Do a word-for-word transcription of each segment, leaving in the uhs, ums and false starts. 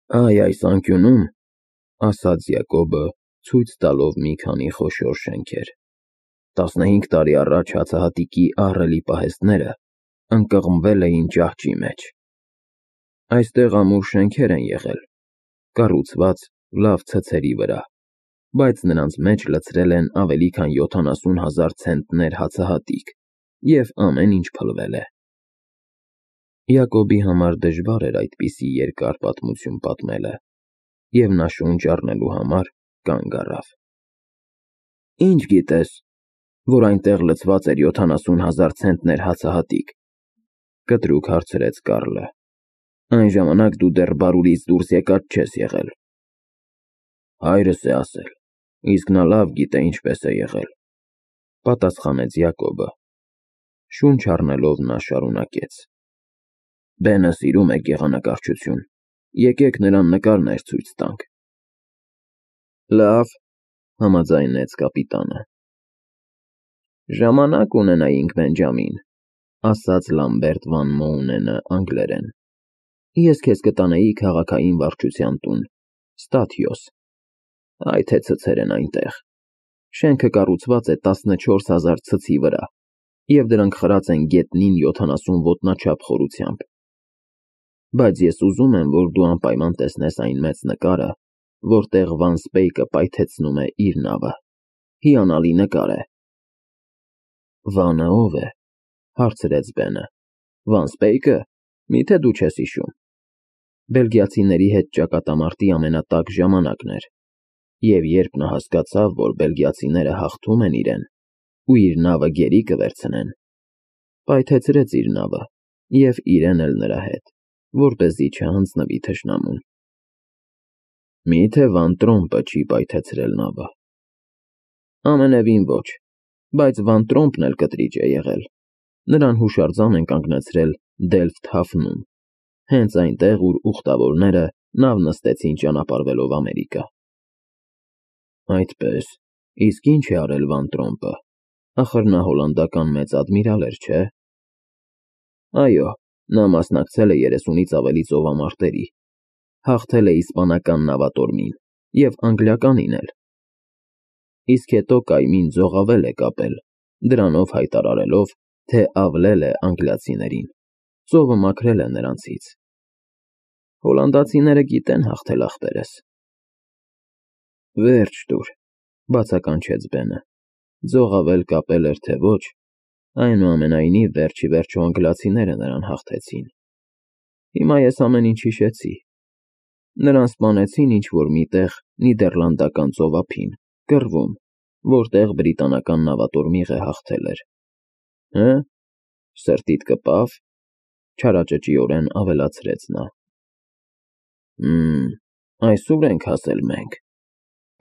Այ այս անկյունում, ասաց Յակոբը, ցույց տալով մի քանի խոշոր շենքեր, տասնհինգ տարի առաջ հացահատիկի ահռելի պահեստները ընկղմվել էին ճահճի մեջ. այստեղ ամուր շենքեր են եղել, կառուցված լավ ցցերի վրա, բայց նրանց մեջ լցրել են ավելի քան յոթանասուն հազար ցենտներ հացահատիկ և ամեն ինչ փլվել է։ Յակոբի համար դժվար էր այդպիսի երկար պատմություն պատմելը, և նա շունչ առնելու համար կանգ առավ։ Ի՞նչ գիտես, որ այնտեղ լցված էր յոթանասուն հազար ցենտներ հացահատիկ, կտրուկ հարցրեց Կառլը։ Այն ժամանակ դու դեռ բարուրից դուրս եկած չես եղել։ Հայրս է ասել, իսկ նա լավ գիտե ինչպես է եղել, պատասխանեց Յակոբը։ Շունչ առնելով նա շարունակեց. Բենը սիրում է գեղանկարչություն, եկեք նրան նկարներ ցույց տանք։ Լավ, համաձայնեց կապիտանը։ Ժամանակ ունենայինք, Բենջամին, ասաց Լամբերտ Վան Մոունենը անգլերեն։ Ես քեզ կտանեի քաղաքային վարչության տուն, Ստաթիոս։ Այ թե ցցեր են այնտեղ։ Շենքը կառուցված է տասնչորս հազար ցցի վրա, և դրանք խրած են գետնին յոթանասուն ոտնաչափ խորությամբ։ Բայց ես ուզում եմ, որ դու անպայման տեսնես այն մեծ նկարը, որտեղ Վան Սպեյկը պայթեցնում է իր նավը։ Հիանալի նկար է։ Վանը ո՞վ է, հարցրեց Բենը։ Վան Սպեյկը, միթե դու չես հիշում։ Բելգիացիների հետ ճակատամարտի ամենատաք ժամանակն էր, և երբ նա հասկացավ, որ բելգիացիները հաղթում են իրեն ու իր նավը գերի կվերցնեն, պայթեցրեց իր նավը և իրեն էլ նրա հետ, որպեսզի չհանձնվի թշնամուն։ Մի՞թե Վան Տրոմպը չի պայթեցրել նավը։ Ամենևին ոչ, բայց Վան Տրոմպն էլ կտրիճ է եղել։ Նրան հուշարձան են կանգնեցրել Դելֆտ Հաֆնում, հենց այնտեղ, ուր ուխտավորները նավ նստեցին ճանապարհվելով Ամերիկա։ Այդպես, իսկ ի՞նչ է արել Վան Տրոմպը, ախր նա հոլանդական մեծ ադմիրալ էր, չէ՞։ Այո, նա մասնակցել է երեսունից ավելի ծովամարտերի, հաղթել է իսպանական նավատորմին և անգլիականին էլ։ Իսկ հետո կայմին ձողավել է կապել, դրանով հայտարարելով, թե ավլել է անգլիացիներին, ծովը մաքրել է նրանցից։ Հոլանդացիները գիտեն հաղթել ախպերս։ Վերջ տուր, բացականչեց Բենը, ձողավել կապել էր, թե ոչ, այնուամենայնիվ վերջիվերջո անգլիացիները նրան հաղթեցին։ Հիմա ես ամեն ինչ հիշեցի։ Նրան սպանեցին ինչ-որ մի տեղ Նիդերլանդական ծովափին, կռվում, որտեղ բրիտանական նավատորմիղը հաղթել էր։ Հը՞, սրտիդ կպավ, չարաճճիորեն ավելացրեց նա։ Հըմ, այսօր ենք հասել մենք,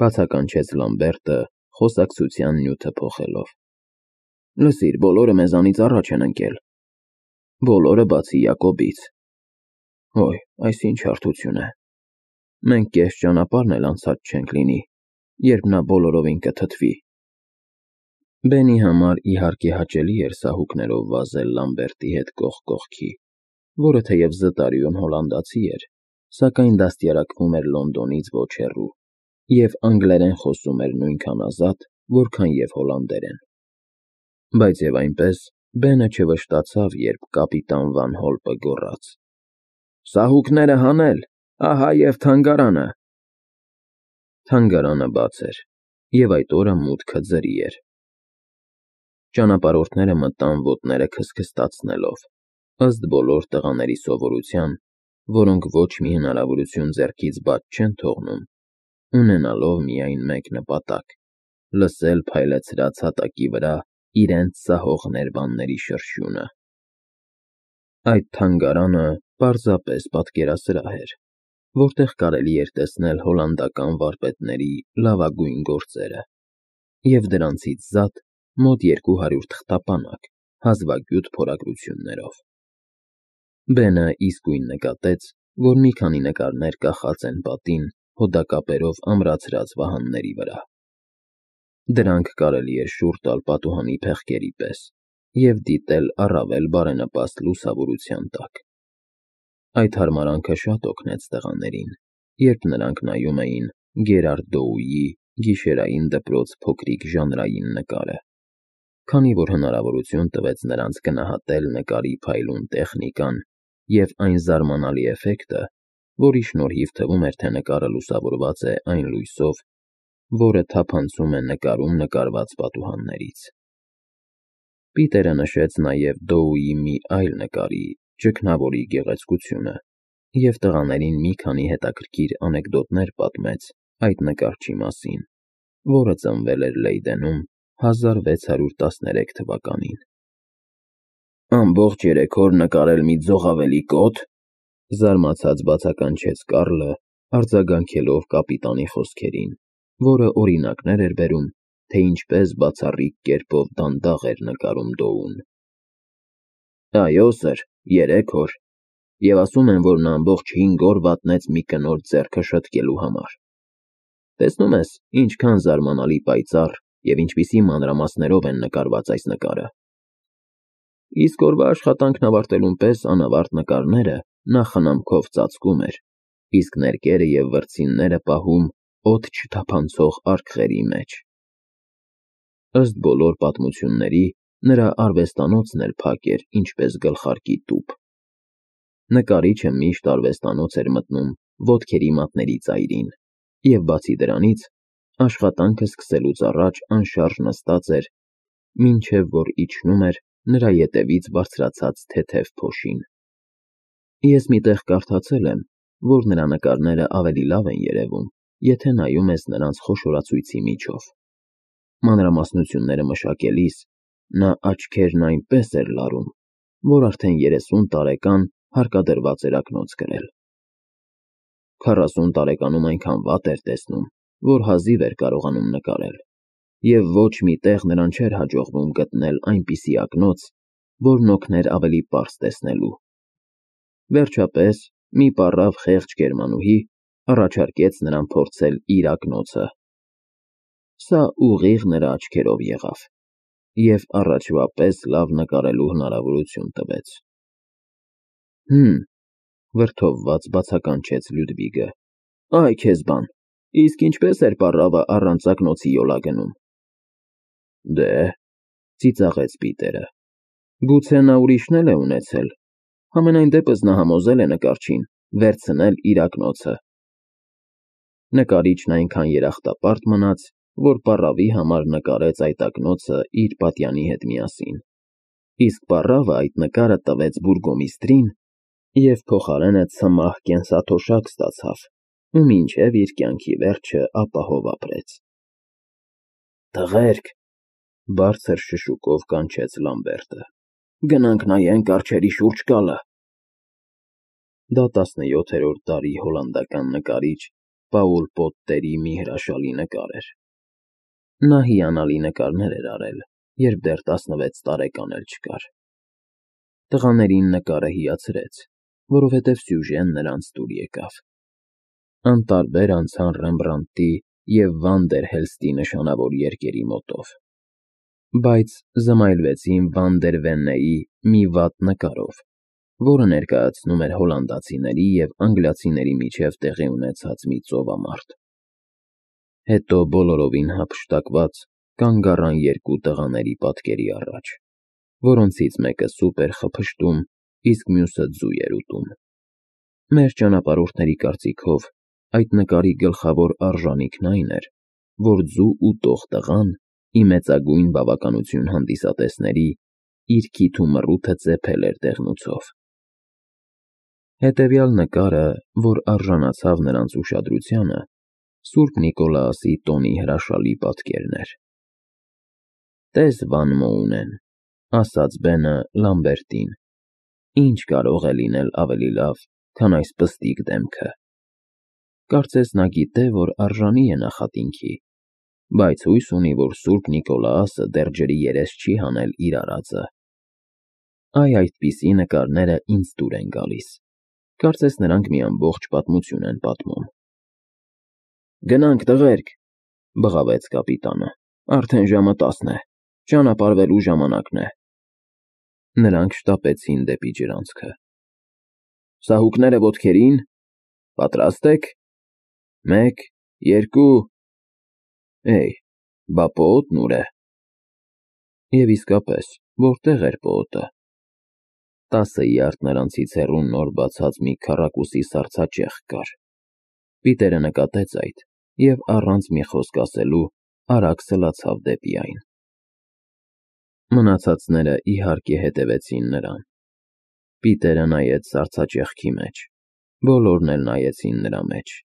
բացականչեց Լամբերտը, խոսակցության նյութը փոխելով։ Լսիր, բոլորը մեզանից առաջ են ընկել։ Բոլորը բացի Յակոբից։ Ոյ, այս ինչ հարթություն է։ Մենք կես ճանապարհն էլ անցած չենք լինի, երբ նա բոլորովին կթթվի։ Բենի համար իհարկե հաճելի էր սահուկներով վազել Լամբերտի հետ կողք կողքի, որը թեև զտարյուն հոլանդացի էր, սակայն դաստիարակվում էր Լոնդոնից ոչ հեռու և անգլերեն խոսում էր նույնքան ազատ, որքան և հոլանդերեն։ Բայց և այնպես Բենը չվշտացավ, երբ կապիտան Վան Հոլպը գոռաց. Սահուկները հանել, ահա և թանգարանը։ Թանգարանը բաց էր, և այդ օրը մուտքը ձրի էր։ Ճանապարհորդները մտան ոտները քստքստացնելով, ըստ բոլոր տղաների սովորության, որոնք ոչ մի հնարավորություն ձեռքից բաց չեն թողնում, ունենալով միայն մեկ նպատակ՝ լսել փայլեցրած հատակի վրա իրենց սահող ներբանների շրշյունը։ Այդ թանգարանը պարզապես պատկերասրահ էր, որտեղ կարելի էր տեսնել հոլանդական վարպետների լավագույն գործերը, և դրանցից զատ մոտ երկու հարյուր թղթապանակ հազվագյուտ փորագրություններով։ Բենը իսկույն նկատեց, որ մի քանի նկարներ կախած են պատին հոդակապերով ամրացրած վահանների վրա։ Դրանք կարելի էր շուռ տալ պատուհանի փեղկերի պես և դիտել առավել բարենպաստ լուսավորության տակ։ Այդ հարմարանքը շատ օգնեց տղաներին, երբ նրանք նայում էին Գերարդ Դոուի գիշերային դպրոց փոքրիկ ժանրային նկարը, քանի որ հնարավորություն տվեց նրանց գնահատել նկարի փայլուն տեխնիկան և այն զարմանալի էֆեկտը, որի շնորհիվ թվում էր, թե նկարը լուսավորված է այն լույսով, որը թափանցում է նկարում նկարված պատուհաններից։ Պիտերը նշեց նաև Դոուի մի այլ նկարի՝ Ճգնավորի գեղեցկությունը և տղաներին մի քանի հետաքրքիր անեկդոտներ պատմեց այդ նկարչի մասին, որը ծնվել էր Լեյդենում հազար վեց հարյուր տասներեք թվականին։ «Ամբողջ երեք օր նկարել մի ձողավելի կոթ», զարմացած բացականչեց Կարլը, արձագանքելով կապիտանի խոսքերին, որը օրինակներ էր բերում, թե ինչպես բացառիկ կերպով դանդաղ էր նկարում Դոուն։ «Այո, սըր, երեք օր, և ասում են, որ նա ամբողջ հինգ օր վատնեց մի կնոջ ձեռքը շտկելու համար։ Տեսնում ես, ինչքան զարմանալի պայծառ և ինչպիսի մանրամասներով են նկարված այս նկարը։ Իսկ օրվա աշխատանքն ավարտելուն պես անավարտ նկարները նա խնամքով ծածկում էր, իսկ ներկերը և վրձինները պահում օդ չթափանցող արկղերի մեջ։ Ըստ բոլոր պատմությունների, նրա արվեստանոցն էլ փակ էր, ինչպես գլխարկի տուփ։ Նկարիչը միշտ արվեստանոց էր մտնում ոտքերի մատների ծայրին, և բացի դրանից, աշխատանքը սկսելուց առաջ անշարժ նստած էր, մինչև որ իջնում էր նրա ետևից բարձրացած թեթև փոշին։ Ես մի տեղ կարդացել եմ, որ նրա նկարները ավելի լավ են երևում, եթե նայում ես նրանց խոշորացույցի միջով։ Մանրամասնությունները մշակելիս նա աչքերն այնպես էր լարում, որ արդեն երեսուն տարեկան հարկադրված էր ակնոց կրել։ Քառասուն տարեկանում այնքան վատ էր տեսնում, որ հազիվ էր կարողանում նկարել, և ոչ մի տեղ նրան չէր հաջողվում գտնել այնպիսի ակնոց, որն օգներ ավելի պարզ տեսնելու։ Վերջապես, մի պառավ խեղճ գերմանուհի առաջարկեց նրան փորձել իր ակնոցը։ Սա ուղիղ նրա աչքերով եղավ, և առաջվա պես լավ նկարելու հնարավորություն տվեց։ «Հըմ», վրդովված բացականչեց Լյուդվիգը, «այ քեզ բան, իսկ ինչպե՞ս էր պառավը առանց ակնոցի յոլա գնում»։ «Դե», ծիծաղեց Պիտերը, «գուցե նա ուրիշն էլ է ունեցել, համենայն դեպս նա համոզել է նկարչին վերցնել իր ակնոցը»։ Նկարիչն այնքան երախտապարտ մնաց, որ պառավի համար նկարեց այդ ակնոցը իր պատյանի հետ միասին, իսկ պառավը այդ նկարը տվեց բուրգոմիստրին և փոխարենը ցմահ կենսաթոշակ ստացավ ու մինչև իր կյանքի վերջը ապահով ապրեց։ «Տղերք», բարձր շշուկով կանչեց Լամբերտը, «գնանք նայենք արջերի շուրջկալը»։ Դա տասնյոթերորդ դարի հոլանդական նկարիչ Պաուլ Պոտտերի մի հրաշալի նկար էր։ Նա հիանալի նկարներ էր արել, երբ դեռ տասնվեց տարեկան էլ չկար։ Տղաներին նկարը հիացրեց, որովհետև սյուժեն նրանց դուր եկավ։ Անտարբեր անցան Ռեմբրանդտի և Վան դեր Հելստի նշանավոր երկերի մոտով, բայց զմայլվեցին Վան դեր Վեննեի մի վատ նկարով, որը ներկայացնում էր հոլանդացիների և անգլիացիների միջև տեղի ունեցած մի ծովամարտ։ Հետո բոլորովին հափշտակված կանգ առան երկու տղաների պատկերի առաջ, որոնցից մեկը սուպ էր խփշտում, իսկ մյուսը ձու էր ուտում։ Մեր ճանապարհորդների կարծիքով այդ նկարի գլխավոր արժանիքն այն էր, որ ձու ուտող տղան, ի մեծագույն բավականություն հանդիսատեսների, իր քիթ ու մռութը ծեփել էր դեղնուցով։ Հետևյալ նկարը, որ արժանացավ նրանց ուշադրությանը, Սուրբ Նիկոլաուսի տոնի հրաշալի պատկերն էր։ «Տես, Վան Մոունեն», ասաց Բենը Լամբերտին, «ինչ կարող է լինել ավելի լավ, քան այս պստիկ դեմքը։ Կարծես նա գիտե, որ արժանի է նախատինքի, բայց հույս ունի, որ Սուրբ Նիկոլաուսը դեռ ջրի երես չի հանել իր արածը։ Այ այդպիսի նկարները ինձ դուր են գալիս, կարծես նրանք մի ամբողջ պատմություն են պատմում»։ «Գնանք, տղերք», բղավեց կապիտանը, «արդեն ժամը տասն է, ճանապարհվելու ժամանակն է»։ Նրանք շտապեցին դեպի ջրանցքը։ «Սահուկները ոտքերի՞ն, պատրաստ ե՞ք», Մեկ, երկու… Էй, բա պոոտն ուր է… Եվ իսկապես, որտեղ էր պոոտը… Տասը յարդ նրանցից հեռու նոր բացած մի քառակուսի սառցաճյուղ կար… Պիտերը նկատեց այդ և առանց մի խոսք ասելու արագ սլացավ դեպի այն… Մնացածները, իհարկե, հետևեցին նրան… Պիտերը նայեց սառցաճեղքի մեջ, բոլորն էլ նայեցին նրա մեջ…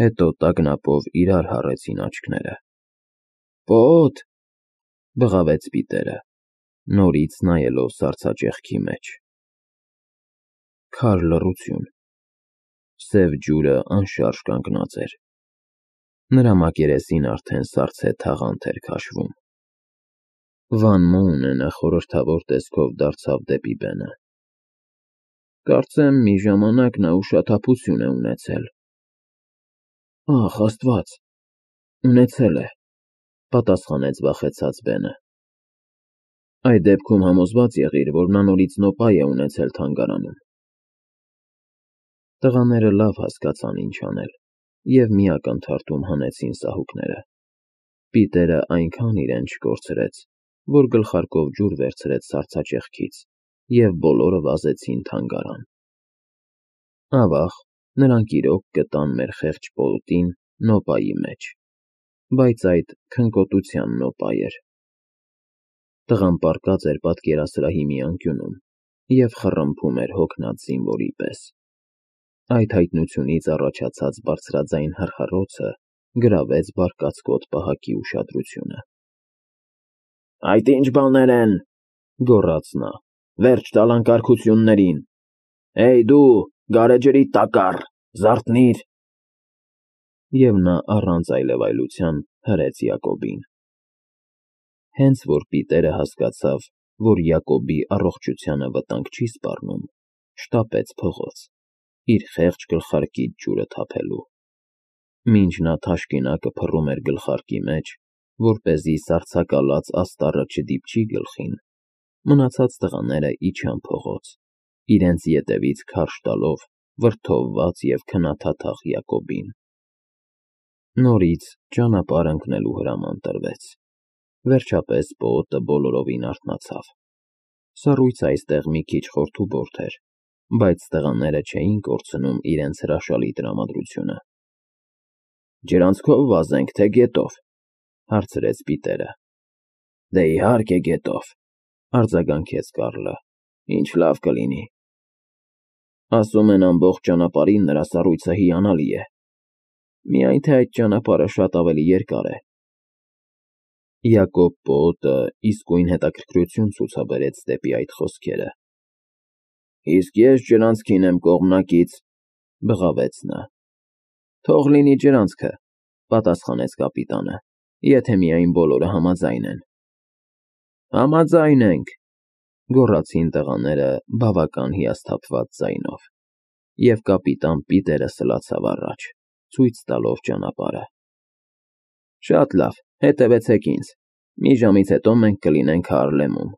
Հետո տագնապով իրար հառեցին աչքները… Պոոտ… բղավեց Պիտերը, նորից նայելով սառցաճեղքի մեջ… Քար լռություն… Սև ջուրը անշարժ կանգնած էր… Նրա մակերեսին արդեն սառցե թաղանթ էր քաշվում… Վան Մոունենը խորհրդավոր տեսքով դարձավ դեպի բենը… Կարծեմ, մի ժամանակ նա ուշաթափություն է ունեցել… Ախ, աստված… ունեցել է… պատասխանեց վախեցած բենը… Այդ դեպքում համոզված եղիր, որ նա նորից նոպա է ունեցել թանգարանում… Տղաները լավ հասկացան ինչ անել և մի ակնթարթում հանեցին սահուկները… Պիտերը այնքան իրեն չկորցրեց, որ գլխարկով ջուր վերցրեց սառցաճեղքից և բոլորը վազեցին թանգարան… Ավաղ, նրանք իրոք գտան մեր խեղճ պոոտին նոպայի մեջ, բայց այդ քնկոտության նոպա էր… Տղան պառկած էր պատկերասրահի մի անկյունում և խռմփում էր հոգնած զինվորի պես… Այդ հայտնությունից առաջացած բարձրաձայն հռհռոցը գրավեց բարկացկոտ պահակի ուշադրությունը… Այդ ի՞նչ բաներ են,֊ գոռաց նա,֊ վերջ տալ անկարգություններին… Էյ դու, գարեջրի տակառ, զարթնի՛ր… Եվ նա առանց այլևայլության հրեց Յակոբին… Հենց որ Պիտերը հասկացավ, որ Յակոբի առողջությանը վտանգ չի սպառնում, շտապեց փողոց, իր խեղճ գլխարկից ջուրը թափելու… Մինչ նա թաշկինակը փռում էր գլխարկի մեջ, որպեսզի սառցակալած աստառը չդիպչի գլխին, մնացած տղաները իջան փողոց, իրենց ետևից քարշ տալով վրդովված և քնաթաթախ Յակոբին… Նորից ճանապարհ ընկնելու հրաման տրվեց… Վերջապես պոոտը բոլորովին արթնացավ… Սառույցը այստեղ մի քիչ խորթուբորթ էր, բայց տղաները չէին կորցնում իրենց հրաշալի տրամադրությունը… Ջրանցքո՞վ վազենք, թե գետով,֊ հարցրեց Պիտերը… Դե, իհարկե, գետով,֊ արձագանքեց Կարլը,֊ ինչ լավ կլինի… Ասում են ամբողջ ճանապարհին նրա սառույցը հիանալի է… Միայն թե այդ ճանապարհը շատ ավելի երկար է… Յակոբ պոոտը իսկույն հետաքրքրություն ցուցաբերեց դեպի այդ խոսքերը… Իսկ ես ջրանցքին եմ կողմնակից,֊ բղավեց նա… Թող լինի ջրանցքը,֊ պատասխանեց կապիտանը,֊ եթե միայն բոլորը համաձայն են… Համաձայն ենք,֊ գոռացին տղաները բավական հիասթափված ձայնով… Եվ կապիտան Պիտերը սլացավ առաջ, ցույց տալով ճանապարհը… Շատ լավ, հետևեցեք ինձ, մի ժամից հետո մենք կլինենք Հարլեմում…